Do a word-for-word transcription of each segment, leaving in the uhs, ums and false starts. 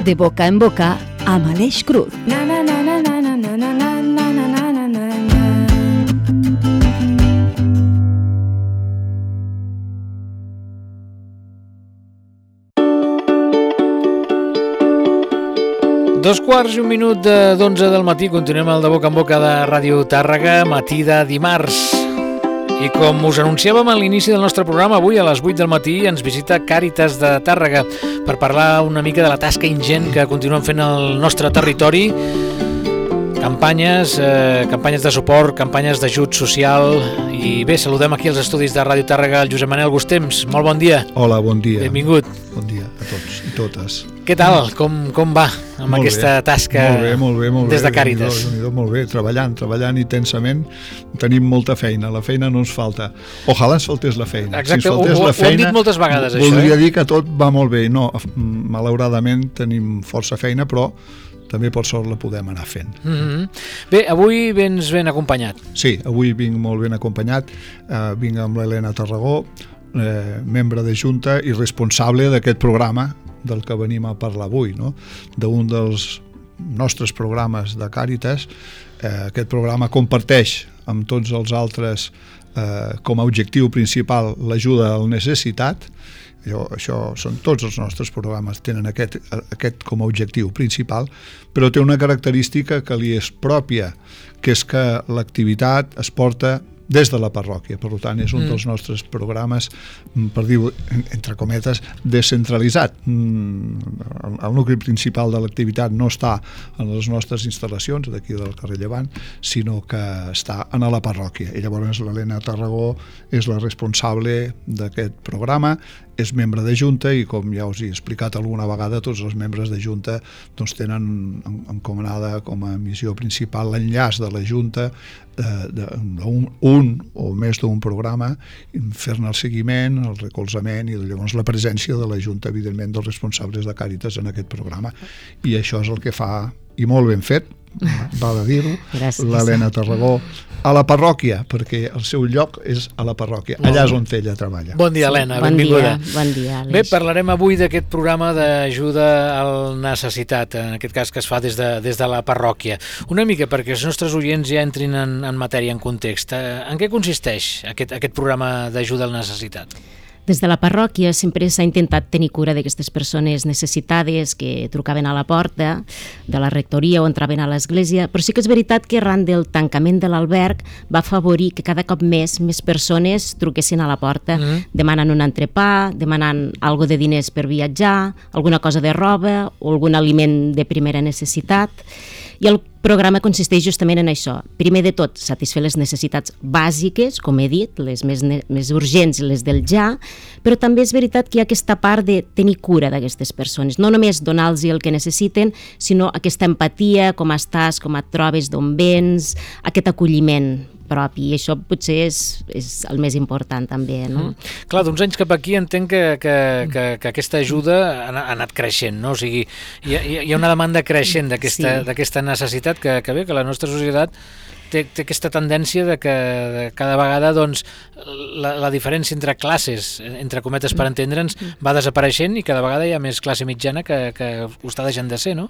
De boca en boca amb Aleix Cruz. Dos quarts i un minut d'onze del matí, continuem el de boca en boca de Ràdio Tàrrega, matí de dimarts. I com us anunciàvem a l'inici del nostre programa, avui a les vuit del matí ens visita Càritas de Tàrrega per parlar una mica de la tasca ingent que continuen fent al nostre territori. Campanyes, eh, campanyes de suport, campanyes d'ajut social. I bé, saludem aquí als estudis de Ràdio Tàrrega el Josep Manel Gustems. Molt bon dia. Hola, bon dia. Benvingut. Bon dia a tots i totes. Què tal? Com, com va amb molt aquesta bé. tasca molt bé, molt bé, molt des de bé. Càritas? Déu-n'hi-do, molt bé, treballant, treballant intensament. Tenim molta feina, la feina no ens falta. Ojalà ens faltés la feina. Exacte, si ens faltés ho, ho, la feina, ho hem dit moltes vegades, això. Voldria eh? dir que tot va molt bé. No, malauradament tenim força feina, però també per sort la podem anar fent. Mm-hmm. Bé, avui vens ben acompanyat. Sí, avui vinc molt ben acompanyat. Uh, vinc amb l'Helena Tarragó, eh, membre de Junta i responsable d'aquest programa del que venim a parlar avui, no? D'un dels nostres programes de Càritas. Eh, aquest programa comparteix amb tots els altres eh, com a objectiu principal l'ajuda al necessitat. Això, això són tots els nostres programes, tenen aquest, aquest com a objectiu principal, però té una característica que li és pròpia, que és que l'activitat es porta des de la parròquia. Per tant, és un mm. dels nostres programes, per dir-ho entre cometes, descentralitzat. El, el nucli principal de l'activitat no està en les nostres instal·lacions d'aquí del carrer Llevant, sinó que està en la parròquia. I llavors l'Helena Tarragó és la responsable d'aquest programa, és membre de Junta i, com ja us he explicat alguna vegada, tots els membres de Junta doncs, tenen encomanada com a missió principal l'enllaç de la Junta d'un un o més d'un programa, fer-ne el seguiment, el recolzament i llavors la presència de la Junta, evidentment, dels responsables de Càritas en aquest programa. I això és el que fa, i molt ben fet, va de dir-ho, l'Helena Tarragó a la parròquia, perquè el seu lloc és a la parròquia, allà és on ella treballa. Bon dia, Helena, bon benvinguda. Dia, bon dia, Aleix. Bé, parlarem avui d'aquest programa d'ajuda al necessitat, en aquest cas que es fa des de, des de la parròquia. Una mica perquè els nostres oients ja entrin en, en matèria, en context. En què consisteix aquest, aquest programa d'ajuda al necessitat? Des de la parròquia sempre s'ha intentat tenir cura d'aquestes persones necessitades que trucaven a la porta de la rectoria o entraven a l'església, però sí que és veritat que arran del tancament de l'alberg va afavorir que cada cop més més persones truquessin a la porta, mm. demanant un entrepà, demanant algo de diners per viatjar, alguna cosa de roba o algun aliment de primera necessitat. I el programa consisteix justament en això. Primer de tot, satisfer les necessitats bàsiques, com he dit, les més, més urgents, les del ja, però també és veritat que hi ha aquesta part de tenir cura d'aquestes persones. No només donar-los el que necessiten, sinó aquesta empatia, com estàs, com et trobes, d'on vens, aquest acolliment propi, i això potser és, és el més important també, no? Mm. Clar, d'uns anys cap aquí entenc que, que, que, que aquesta ajuda ha, ha anat creixent, no? O sigui, hi ha, hi ha una demanda creixent d'aquesta, sí. d'aquesta necessitat que, que bé, que la nostra societat té, té aquesta tendència de que de cada vegada doncs, la, la diferència entre classes, entre cometes per entendre'ns, va desapareixent i cada vegada hi ha més classe mitjana que, que ho està deixant de ser, no?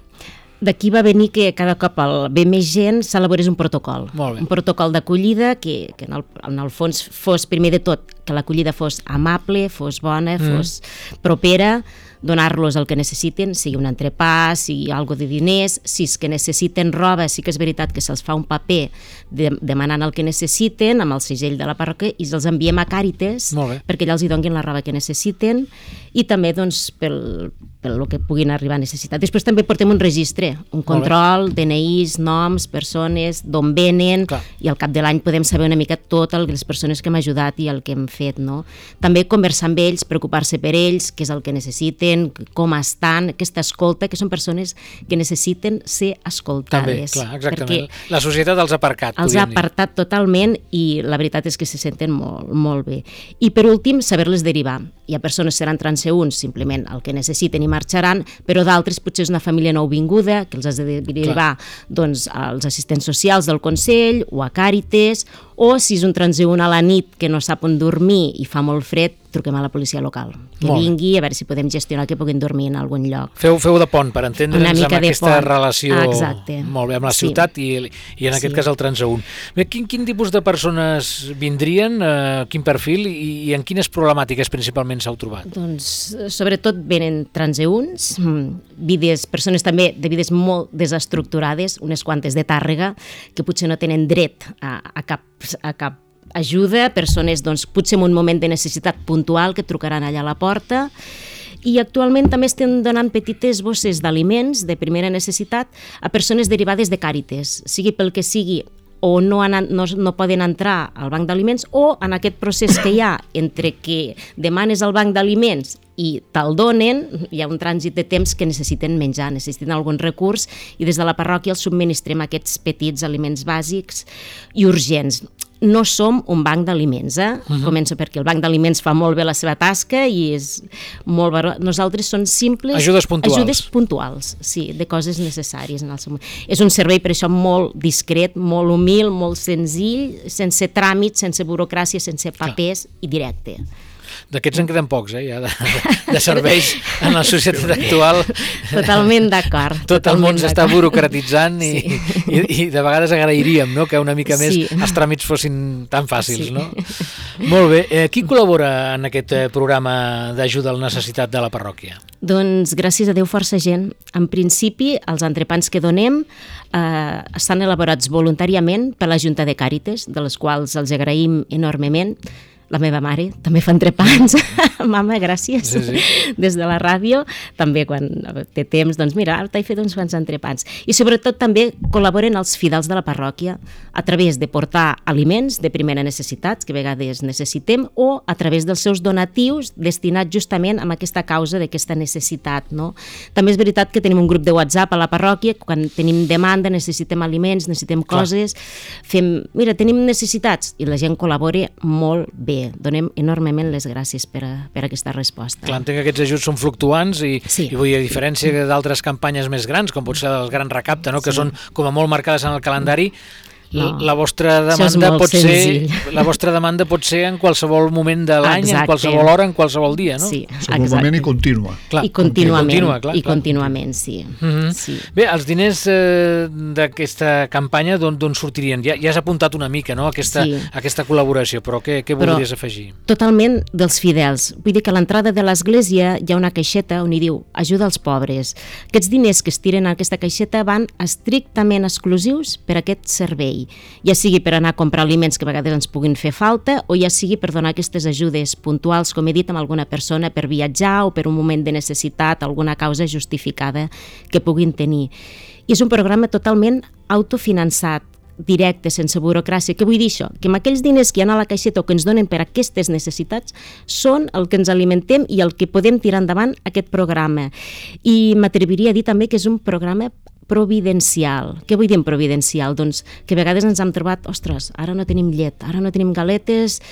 D'aquí va venir que cada cop el, ve més gent s'elaborés un protocol. Un protocol d'acollida que, que en, el, en el fons fos, primer de tot, que l'acollida fos amable, fos bona, mm. fos propera, donar-los el que necessiten, sigui un entrepà, sigui algo de diners, si és que necessiten roba, sí que és veritat que se'ls fa un paper de, demanant el que necessiten amb el segell de la parròquia i els enviem a Càritas perquè allà els hi donin la roba que necessiten i també doncs, pel, pel que puguin arribar a necessitar. Després també portem un registre, un control, D N Is, noms, persones, d'on venen. Clar. I al cap de l'any podem saber una mica totes les persones que hem ajudat i el que hem fet, no? També conversar amb ells, preocupar-se per ells, què és el que necessiten, com estan, aquesta escolta, que són persones que necessiten ser escoltades. També, clar, exactament. La societat els ha aparcat. Els ha apartat totalment i la veritat és que se senten molt, molt bé. I per últim, saber-les derivar. Hi ha persones que seran transeünts, simplement el que necessiten i marxaran, però d'altres potser és una família nouvinguda que els has de derivar doncs, als assistents socials del Consell o a Càritas, o si és un transeünt a la nit que no sap on dormir, dormir i fa molt fred, truquem a la policia local, que molt vingui a veure si podem gestionar que puguin dormir en algun lloc. Feu, feu de pont per entendre'ns amb aquesta pont. relació Exacte. molt bé, amb la Sí. ciutat i, i en aquest Sí. cas el transeünt. Bé, quin, quin tipus de persones vindrien, eh, quin perfil i, i en quines problemàtiques principalment s'heu trobat? Doncs sobretot venen transeünts, vides, persones també de vides molt desestructurades, unes quantes de Tàrrega, que potser no tenen dret a, a, cap, a cap ajuda, persones doncs, potser en un moment de necessitat puntual que trucaran allà a la porta, i actualment també estem donant petites bosses d'aliments de primera necessitat a persones derivades de Càritas, sigui pel que sigui, o no, han, no, no poden entrar al banc d'aliments, o en aquest procés que hi ha entre que demanes al banc d'aliments i te'l donen, hi ha un trànsit de temps que necessiten menjar, necessiten algun recurs, i des de la parròquia els subministrem aquests petits aliments bàsics i urgents. No som un banc d'aliments, eh? Uh-huh. Començo perquè el banc d'aliments fa molt bé la seva tasca i és molt baró. Nosaltres són simples... Ajudes puntuals. Ajudes puntuals, sí, de coses necessàries en el seu moment. És un servei per això molt discret, molt humil, molt senzill, sense tràmits, sense burocràcia, sense papers i directe. D'aquests en queden pocs, eh, ja, de, de serveis en la societat actual. Totalment d'acord. Tot el món s'està burocratitzant i, sí. i, i de vegades agrairíem, no?, que una mica més sí. els tràmits fossin tan fàcils, sí. no? Molt bé. Eh, qui col·labora en aquest programa d'ajuda al necessitat de la parròquia? Doncs gràcies a Déu força gent. En principi, els entrepans que donem eh, estan elaborats voluntàriament per la Junta de Càritas, de les quals els agraïm enormement. La meva mare també fa entrepans. Mama, gràcies. Sí, sí. Des de la ràdio, també quan té temps, doncs mira, ara t'he fet uns quants entrepans. I sobretot també col·laboren els fidels de la parròquia a través de portar aliments de primera necessitat, que a vegades necessitem, o a través dels seus donatius destinats justament a aquesta causa d'aquesta necessitat, no? També és veritat que tenim un grup de WhatsApp a la parròquia, quan tenim demanda, necessitem aliments, necessitem coses, Clar. fem, mira, tenim necessitats, i la gent col·labora molt bé. Donem enormement les gràcies per a, per a aquesta resposta. Clar, entenc que aquests ajuts són fluctuants i, sí. i vull dir, a diferència d'altres campanyes més grans, com pot ser el Gran Recapte, no? que sí. són com a molt marcades en el calendari, no. la vostra demanda pot senzill. ser la vostra demanda pot ser en qualsevol moment de l'any, en qualsevol hora, en qualsevol dia, no? Sí, segurament i contínua. Clar, I contínuament, continua, clar, i clar. contínuament, sí. Mm-hmm. sí. Bé, els diners eh, d'aquesta campanya d'on sortirien? Ja, ja has apuntat una mica, no?, aquesta, sí. aquesta col·laboració, però què, què voldries però, afegir? Totalment dels fidels. Vull dir que a l'entrada de l'església hi ha una caixeta on hi diu ajuda als pobres. Aquests diners que es tiren a aquesta caixeta van estrictament exclusius per a aquest servei, ja sigui per anar a comprar aliments que a vegades ens puguin fer falta, o ja sigui per donar aquestes ajudes puntuals, com he dit, amb alguna persona per viatjar o per un moment de necessitat, alguna causa justificada que puguin tenir. I és un programa totalment autofinançat, directe, sense burocràcia. Què vull dir això? Que amb aquells diners que hi ha a la caixeta o que ens donen per a aquestes necessitats són el que ens alimentem i el que podem tirar endavant aquest programa. I m'atreviria a dir també que és un programa providencial. Què vull dir en providencial? Doncs que a vegades ens hem trobat, ostres, ara no tenim llet, ara no tenim galetes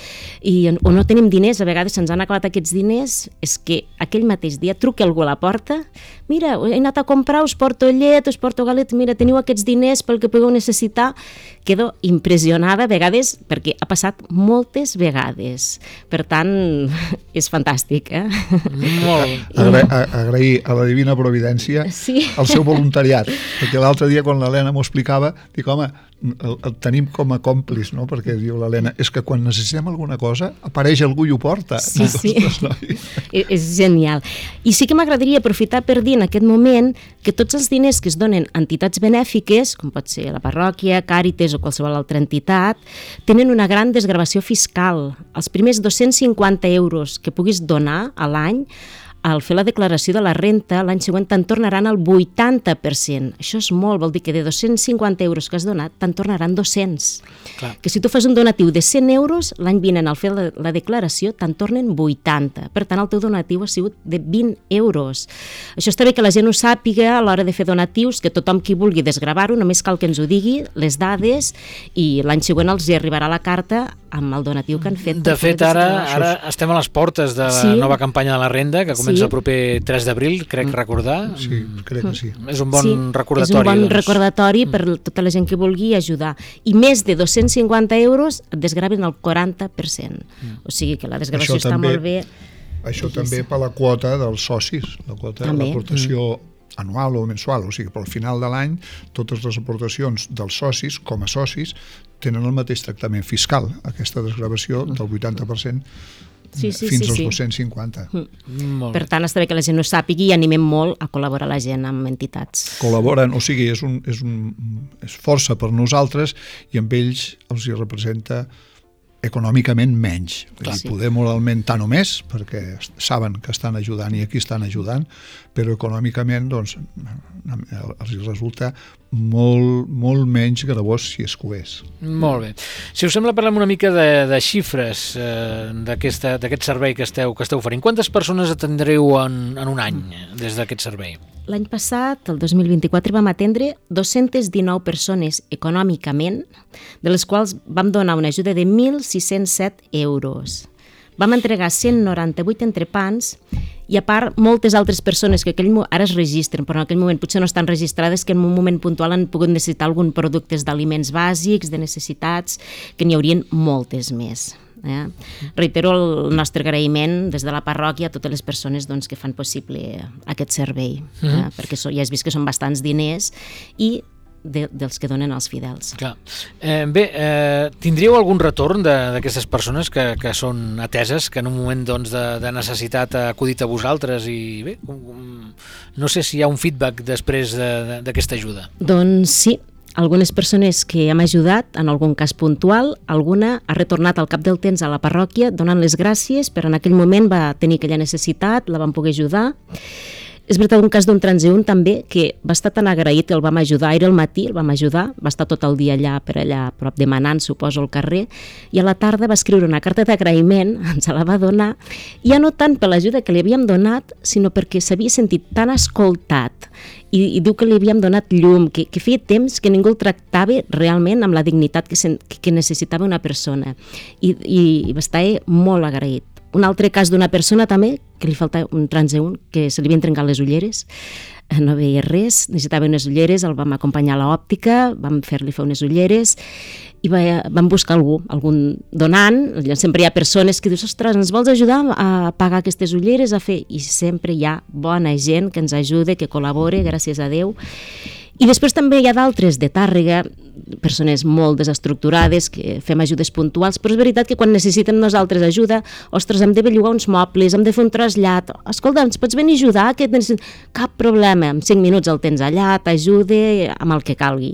i, o no tenim diners, a vegades se'ns han acabat aquests diners, és que aquell mateix dia truca algú a la porta, mira, he anat a comprar, us porto llet, us porto galetes, mira, teniu aquests diners pel que pugueu necessitar. Quedo impressionada a vegades perquè ha passat moltes vegades. Per tant, és fantàstic, eh? Molt. Agra agrair a la Divina Providència sí. el seu voluntariat, perquè l'altre dia quan l'Helena m'ho explicava, dic, home, el, el tenim com a còmplice, no? Perquè diu l'Helena, és que quan necessitem alguna cosa apareix algú i ho porta. Sí, sí. És genial. I sí que m'agradaria aprofitar per dir en aquest moment que tots els diners que es donen a entitats benèfiques, com pot ser la parròquia, Càritas o qualsevol altra entitat, tenen una gran desgravació fiscal. Els primers dos-cents cinquanta euros que puguis donar a l'any, al fer la declaració de la renta, l'any següent te'n tornaran el vuitanta per cent. Això és molt, vol dir que de dos-cents cinquanta euros que has donat, te'n tornaran dos-cents. Clar. Que si tu fas un donatiu de cent euros, l'any vinent al fer la, la declaració te'n tornen vuitanta. Per tant, el teu donatiu ha sigut de vint euros. Això està bé que la gent ho sàpiga a l'hora de fer donatius, que tothom qui vulgui desgravar-ho, només cal que ens ho digui, les dades, i l'any següent els hi arribarà la carta amb el donatiu que han fet. De fet, ara, ara estem a les portes de la sí. nova campanya de la renda, que comença sí. el proper tres d'abril, crec recordar. Sí, crec que sí. És un bon sí, recordatori. És un bon doncs. recordatori per tota la gent que vulgui ajudar. I més de dos-cents cinquanta euros et desgraven el quaranta per cent. Mm. O sigui que la desgravació està també, molt bé. Això també per la quota dels socis, la quota de l'aportació mm. anual o mensual, o sigui, però al final de l'any totes les aportacions dels socis, com a socis, tenen el mateix tractament fiscal, aquesta desgravació del vuitanta per cent sí, sí, fins sí, als sí. dos-cents cinquanta. Mm. Per tant, està bé que la gent ho sàpigui i animem molt a col·laborar la gent amb entitats. Col·laboren, o sigui, és, un, és, un, és força per nosaltres i amb ells els hi representa econòmicament menys. Clar, sí. Poder moralment tant o més, perquè saben que estan ajudant i aquí estan ajudant, però econòmicament doncs, els resulta molt, molt menys gravós si és que ho és. Molt bé. Si us sembla, parlem una mica de, de xifres eh, d'aquest servei que esteu, que esteu oferint. Quantes persones atendreu en, en un any des d'aquest servei? L'any passat, el dos mil vint-i-quatre, vam atendre dos-centes dinou persones econòmicament, de les quals vam donar una ajuda de mil sis-cents set euros. Vam entregar cent noranta-vuit entrepans i, a part, moltes altres persones que aquell, ara es registren, però en aquell moment potser no estan registrades, que en un moment puntual han pogut necessitar algun productes d'aliments bàsics, de necessitats, que n'hi haurien moltes més. Eh? Reitero el nostre agraïment des de la parròquia a totes les persones doncs, que fan possible aquest servei, eh? Mm-hmm. perquè so, ja has vist que són bastants diners i de, dels que donen els fidels. Clar. Eh, bé, eh, tindríeu algun retorn d'aquestes persones que, que són ateses, que en un moment doncs, de, de necessitat ha acudit a vosaltres i bé, no sé si hi ha un feedback després d'aquesta de, ajuda. Doncs sí. Algunes persones que hem ajudat, en algun cas puntual, alguna ha retornat al cap del temps a la parròquia donant les gràcies, però en aquell moment va tenir aquella necessitat, la vam poder ajudar. És veritat, un cas d'un transeünt també, que va estar tan agraït que el vam ajudar, era al matí, el vam ajudar, va estar tot el dia allà per allà, prop demanant, suposo, al carrer, i a la tarda va escriure una carta d'agraïment, ens la va donar, ja no tant per l'ajuda que li havíem donat, sinó perquè s'havia sentit tan escoltat, i, i diu que li havíem donat llum, que, que feia temps que ningú el tractava realment amb la dignitat que, sen, que necessitava una persona, i, i, i va estar molt agraït. Un altre cas d'una persona també, que li falta un transeünt, que se li havien trencat les ulleres, no veia res, necessitava unes ulleres, el vam acompanyar a l'òptica, vam fer-li fer unes ulleres i va, vam buscar algú, algun donant. Sempre hi ha persones que dius, ostres, ens vols ajudar a pagar aquestes ulleres, a fer? I sempre hi ha bona gent que ens ajuda, que col·labora, gràcies a Déu. I després també hi ha d'altres de Tàrrega, persones molt desestructurades que fem ajudes puntuals, però és veritat que quan necessitem nosaltres ajuda, ostres, hem de bellugar uns mobles, hem de fer un trasllat, escolta, ens pots venir a ajudar? Que cap problema, en cinc minuts el tens allà, t'ajuda amb el que calgui.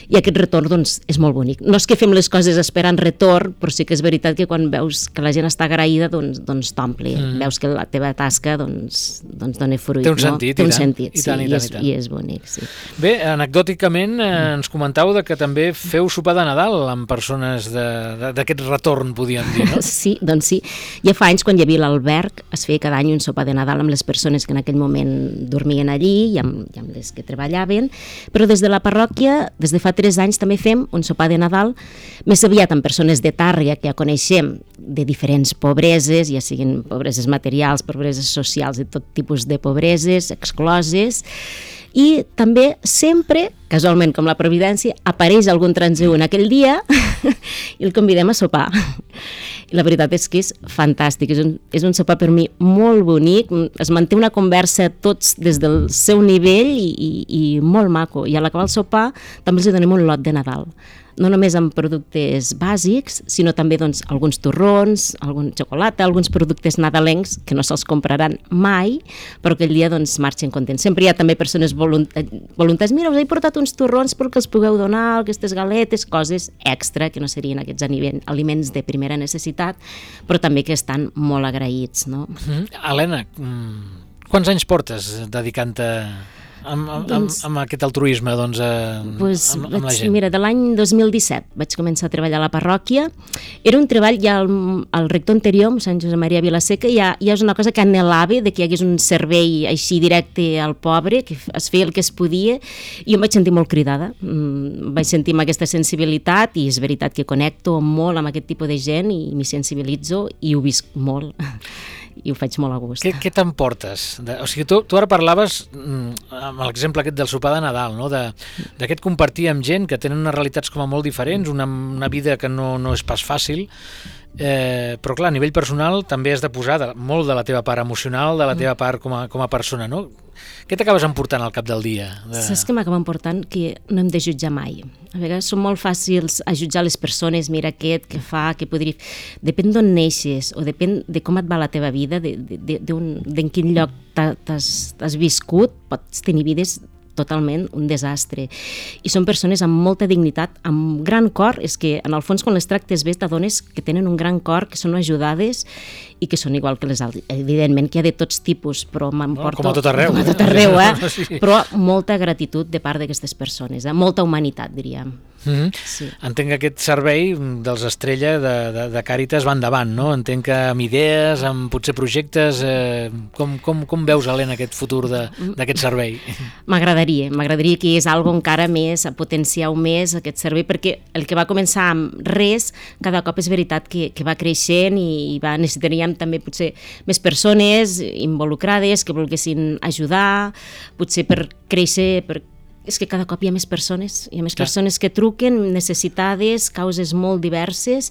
I aquest retorn doncs, és molt bonic. No és que fem les coses esperant retorn, però sí que és veritat que quan veus que la gent està agraïda, doncs, doncs t'omple. Mm. Veus que la teva tasca doncs, doncs dona fruit. Té un sentit, no? Té un i tant, sentit, i tant, sí, i tant, i, és, i tant. i és bonic, sí. Bé, anecdòticament eh, ens comentau de que també feu sopar de Nadal amb persones d'aquest retorn, podíem dir, no? Sí, doncs sí. Ja fa anys, quan hi havia l'alberg, es feia cada any un sopar de Nadal amb les persones que en aquell moment dormien allí i amb, i amb les que treballaven, però des de la parròquia, des de fa tres anys, també fem un sopar de Nadal més aviat amb persones de Tàrrega que ja coneixem de diferents pobreses, ja siguin pobreses materials, pobreses socials, de tot tipus de pobreses, excloses, i també sempre, casualment com la Providència, apareix algun transeünt aquell dia i el convidem a sopar. I la veritat és que és fantàstic, és un, és un sopar per mi molt bonic, es manté una conversa tots des del seu nivell i, i, i molt maco, i a l'acabar el sopar també els donem un lot de Nadal. No només amb productes bàsics, sinó també doncs, alguns torrons, algun xocolata, alguns productes nadalencs que no se'ls compraran mai, però aquell dia doncs, marxen contents. Sempre hi ha també persones voluntàries, mira, us he portat uns torrons perquè els pugueu donar, aquestes galetes, coses extra que no serien aquests aliments de primera necessitat, però també que estan molt agraïts. No? Mm-hmm. Helena, quants anys portes dedicant-te amb, amb, doncs, amb, amb aquest altruisme doncs, eh, pues, amb, amb la vaig, gent? Mira, de l'any dos mil disset vaig començar a treballar a la parròquia. Era un treball, ja el, el rector anterior, Sant Josep Maria Vilaseca, ja, ja és una cosa que anhelava, de que hi hagués un servei així directe al pobre, que es feia el que es podia, i em vaig sentir molt cridada. Mm, vaig sentir amb aquesta sensibilitat, i és veritat que connecto molt amb aquest tipus de gent, i m'hi sensibilitzo, i ho visc molt. I ho faig molt a gust. Què, què t'emportes? O sigui, tu, tu ara parlaves amb l'exemple aquest del sopar de Nadal, no? D'aquest compartir amb gent que tenen unes realitats com a molt diferents, una, una vida que no, no és pas fàcil, eh, però clar, a nivell personal també has de posar de, molt de la teva part emocional, de la teva part com a, com a persona, no? Què t'acabes emportant al cap del dia? De... Saps què m'acaba emportant? Que no hem de jutjar mai. A vegades són molt fàcils a jutjar les persones, mira aquest, què fa, què podria... Depèn d'on neixes, o depèn de com et va la teva vida, de, de, de, d'en quin lloc t'has viscut, pots tenir vides totalment un desastre. I són persones amb molta dignitat, amb gran cor, és que en el fons quan les tractes bé t'adones que tenen un gran cor, que són ajudades i que són igual que les altres. Evidentment que hi ha de tots tipus, però m'emporto... No, com a tot arreu. Com a tot arreu, eh? Sí. Però molta gratitud de part d'aquestes persones, eh? Molta humanitat, diríem. Mm-hmm. Sí. Entenc que aquest servei dels Estrella de, de, de Càritas va endavant, no? Entenc que amb idees, amb potser projectes, eh, com, com, com veus, Helena, aquest futur d'aquest servei? M'agradaria, m'agradaria que és algo encara més, a potenciar més aquest servei, perquè el que va començar amb res, cada cop és veritat que, que va creixent i va, necessitaríem també potser més persones involucrades que volguessin ajudar, potser per créixer, per és que cada cop hi ha més persones, hi ha més Clar. persones que truquen, necessitades, causes molt diverses,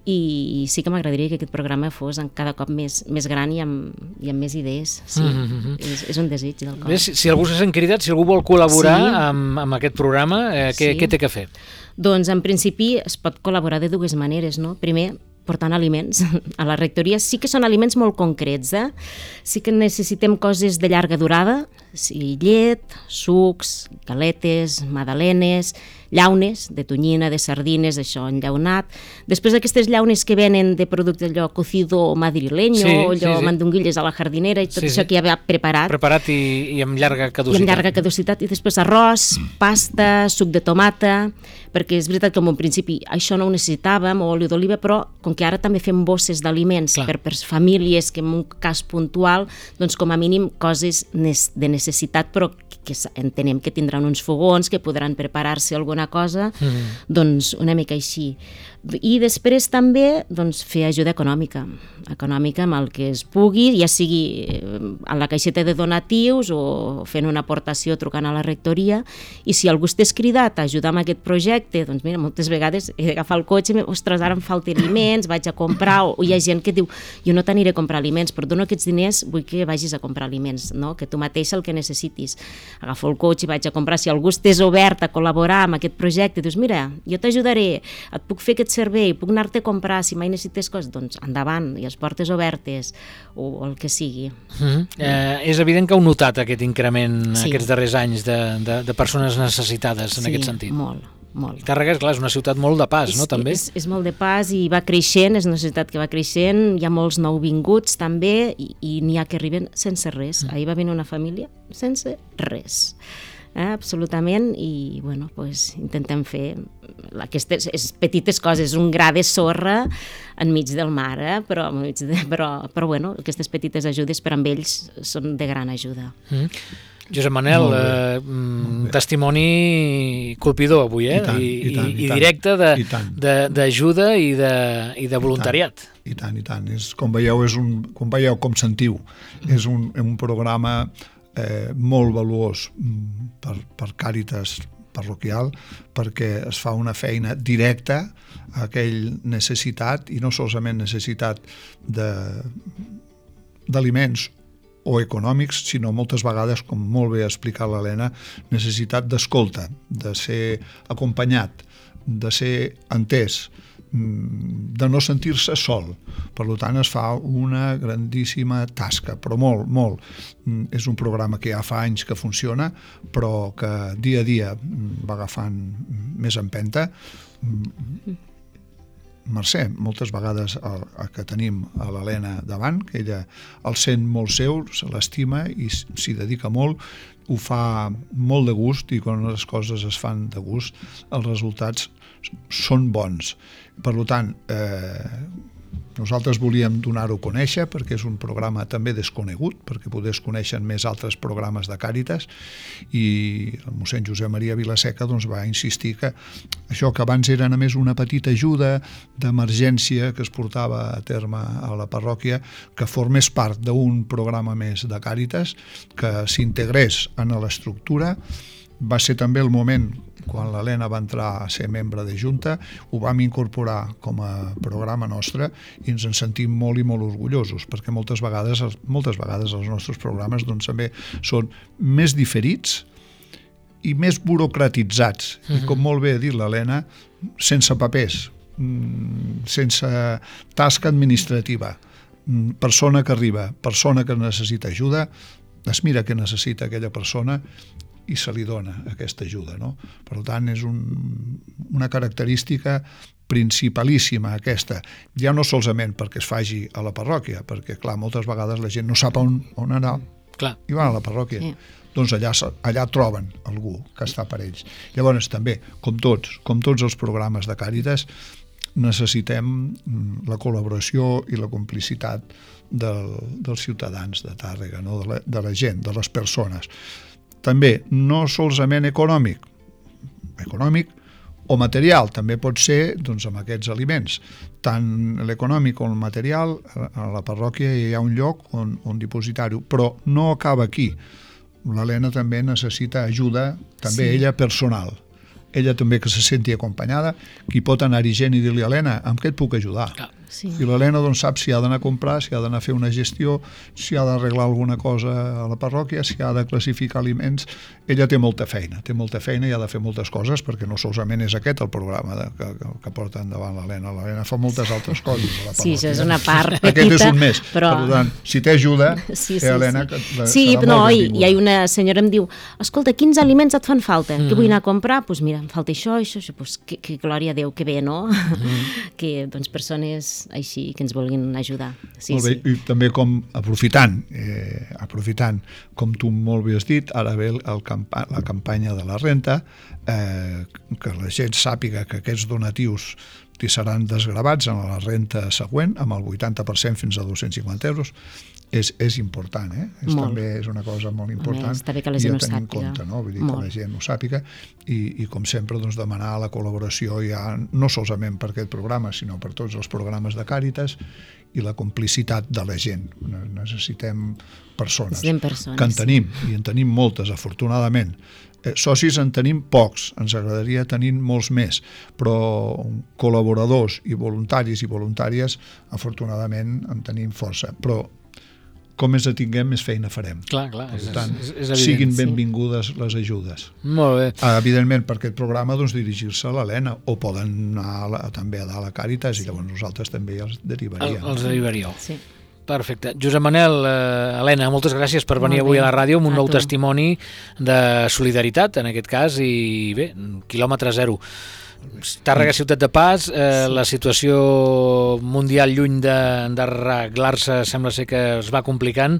i sí que m'agradaria que aquest programa fos cada cop més, més gran i amb, i amb més idees. Sí, mm-hmm. és, és un desig del cor. Bé, si, si algú se sent cridat, si algú vol col·laborar sí. amb, amb aquest programa, eh, què, sí. què té que fer? Doncs en principi es pot col·laborar de dues maneres, no? Primer, portant aliments a la rectoria. Sí que són aliments molt concrets, eh? Sí que necessitem coses de llarga durada, sí, llet, sucs, galetes, magdalenes, llaunes, de tonyina, de sardines, això enllaunat. Després aquestes llaunes que venen de producte allò cocido madrileño, sí, allò sí, sí. mandonguilles a la jardinera i tot sí, això sí. que ja va preparat. Preparat i, i amb llarga caducitat. I amb llarga caducitat. I després arròs, pasta, suc de tomata, perquè és veritat que en un principi això no ho necessitàvem, o oli d'oliva, però com que ara també fem bosses d'aliments per, per famílies que en un cas puntual, doncs com a mínim coses de necessitat, però que entenem que tindran uns fogons, que podran preparar-se alguna cosa, mm. doncs una mica així. I després també doncs, fer ajuda econòmica, econòmica amb el que es pugui, ja sigui a la caixeta de donatius o fent una aportació trucant a la rectoria, i si algú estàs cridat a ajudar amb aquest projecte, doncs mira, moltes vegades he d'agafar el cotxe, ostres, ara em falta aliments, vaig a comprar, o hi ha gent que diu, jo no t'aniré a comprar aliments, però dono aquests diners, vull que vagis a comprar aliments, no? Que tu mateix el que necessitis. Agafo el cotxe i vaig a comprar, si algú estàs obert a col·laborar amb aquest projecte, dius, mira, jo t'ajudaré, et puc fer aquest servei, puc anar-te a comprar si mai necessites coses, doncs endavant, i les portes obertes, o, o el que sigui. Mm-hmm. eh, és evident que heu notat aquest increment sí. aquests darrers anys de, de, de persones necessitades en sí, aquest sentit. Sí, molt. Molt. Tàrrega, clar, és una ciutat molt de pas, és, no, també? És, és molt de pas i va creixent, és una ciutat que va creixent, hi ha molts nouvinguts també, i, i n'hi ha que arriben sense res. Mm. Ahir va venir una família sense res. Eh, absolutament, i bueno, pues, intentem fer aquestes petites coses, un gra de sorra enmig del mar, eh? però, de, però, però bueno, aquestes petites ajudes per amb ells són de gran ajuda. Mm. Josep Manel, eh, testimoni colpidor avui, eh? I, tant, i, i, tant, i, i directe d'ajuda i, i, de, i de voluntariat. I tant, i tant. És, com veieu, és un, com veieu, com sentiu, és un, un programa eh, molt valuós per, per Càritas parroquial, perquè es fa una feina directa a aquell necessitat, i no solament necessitat d'aliments o econòmics, sinó moltes vegades, com molt bé ha explicat l'Helena, necessitat d'escolta, de ser acompanyat, de ser entès, de no sentir-se sol. Per tant, es fa una grandíssima tasca, però molt, molt. És un programa que ja fa anys que funciona, però que dia a dia va agafant més empenta. Mercè, moltes vegades el, el que tenim a l'Helena davant, que ella el sent molt seu, se l'estima i s'hi dedica molt, ho fa molt de gust, i quan les coses es fan de gust els resultats són bons. Per tant, eh, nosaltres volíem donar-ho a conèixer perquè és un programa també desconegut, perquè poder es coneixen més altres programes de Càritas, i el mossèn Josep Maria Vilaseca doncs, va insistir que això que abans era només una petita ajuda d'emergència que es portava a terme a la parròquia, que formés part d'un programa més de Càritas, que s'integrés en l'estructura. Va ser també el moment quan l'Helena va entrar a ser membre de Junta, ho vam incorporar com a programa nostre i ens en sentim molt i molt orgullosos, perquè moltes vegades, moltes vegades els nostres programes doncs, també són més diferits i més burocratitzats. Uh-huh. I com molt bé ha dit l'Helena, sense papers, sense tasca administrativa, persona que arriba, persona que necessita ajuda, es mira què necessita aquella persona i se li dona aquesta ajuda, no? Per tant, és un, una característica principalíssima aquesta, ja no solament perquè es faci a la parròquia, perquè clar, moltes vegades la gent no sap on, on anar, clar, i van a la parròquia. Sí. Doncs allà, allà troben algú que està per ells. Llavors també, com tots, com tots els programes de Càritas, necessitem la col·laboració i la complicitat del, dels ciutadans de Tàrrega, no? de, la, de la gent, de les persones. També, no solament econòmic, econòmic o material, també pot ser doncs, amb aquests aliments. Tant l'econòmic com el material, a la parròquia hi ha un lloc on, on dipositar-ho, però no acaba aquí. L'Helena també necessita ajuda, també sí. ella personal. Ella també que se senti acompanyada, qui pot anar-hi gent i dir-li, Helena, amb què et puc ajudar? Clar. Sí. I l'Helena doncs, sap si ha d'anar a comprar, si ha d'anar a fer una gestió, si ha d'arreglar alguna cosa a la parròquia, si ha de classificar aliments. Ella té molta feina, té molta feina i ha de fer moltes coses, perquè no solament és aquest el programa de, que, que porta endavant l'Helena. L'Helena fa moltes altres coses a la parròquia. Sí, això és una part petita. Aquest és un més. Però... Per tant, si t'ajuda, sí, sí, eh, Helena, sí. La, sí, no, i, i hi ha una senyora em diu, escolta, quins aliments et fan falta? Mm. Que vull anar a comprar? Doncs pues mira, em falta això, això, això. Pues, que, que glòria a Déu, que bé, no? Mm. Que doncs, persones així que ens vulguin ajudar. Sí, molt bé, sí. I també com aprofitant, eh, aprofitant, com tu molt bé has dit, ara ve el campa la campanya de la renta, eh, que la gent sàpiga que aquests donatius li seran desgravats en la renta següent, amb el vuitanta per cent fins a dos-cents cinquanta euros. És, és important, eh? És, també és una cosa molt important. Està bé que la gent ho sàpiga. Compte, no? Vull dir molt. Que la gent ho sàpiga i, i com sempre doncs, demanar la col·laboració ja no solament per aquest programa, sinó per tots els programes de Càritas i la complicitat de la gent. Necessitem persones, persones que en tenim, i en tenim moltes, afortunadament. Eh, socis en tenim pocs, ens agradaria tenir molts més, però col·laboradors i voluntaris i voluntàries, afortunadament en tenim força. Però com més la tinguem, més feina farem. Clar, clar. Per tant, és, és evident, siguin benvingudes sí. les ajudes. Molt bé. Evidentment, per aquest programa, doncs, dirigir-se a l'Helena, o poden anar a la, també a dalt a Càritas, sí. i llavors nosaltres també els derivaríem. El, els derivaríeu. Sí. Perfecte. Josep Manel, eh, Helena, moltes gràcies per venir avui a la ràdio amb un nou testimoni de solidaritat, en aquest cas, i bé, quilòmetre zero. Tàrrega, ciutat de pas, eh, sí. la situació mundial lluny d'arreglar-se sembla ser que es va complicant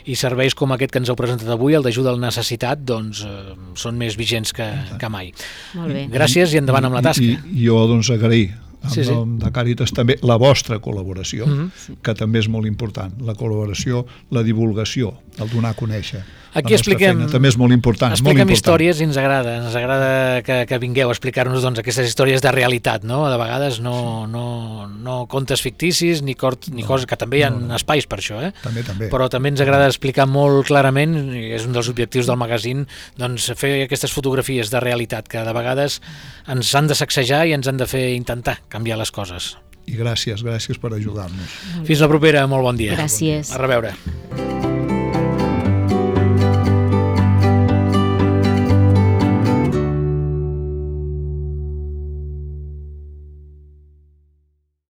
i serveis com aquest que ens heu presentat avui, el d'ajuda al necessitat, doncs eh, són més vigents que, que mai. Molt bé. Gràcies i endavant amb la tasca. I, i jo doncs agrair en sí, sí. nom de Càritas també la vostra col·laboració, mm-hmm. que també és molt important, la col·laboració, la divulgació, el donar a conèixer. Aquí expliquem, feina. També és molt important. Expliquem molt important. històries i ens agrada, ens agrada que, que vingueu a explicar-nos doncs, aquestes històries de realitat, no? De vegades no, no, no contes ficticis ni, cort, ni no, coses, que també hi ha no, no. espais per això, eh? També, també. Però també ens agrada explicar molt clarament, i és un dels objectius del magazín, doncs fer aquestes fotografies de realitat que de vegades ens han de sacsejar i ens han de fer intentar canviar les coses. I gràcies, gràcies per ajudar-nos. Fins la propera, molt bon dia. Gràcies. A reveure.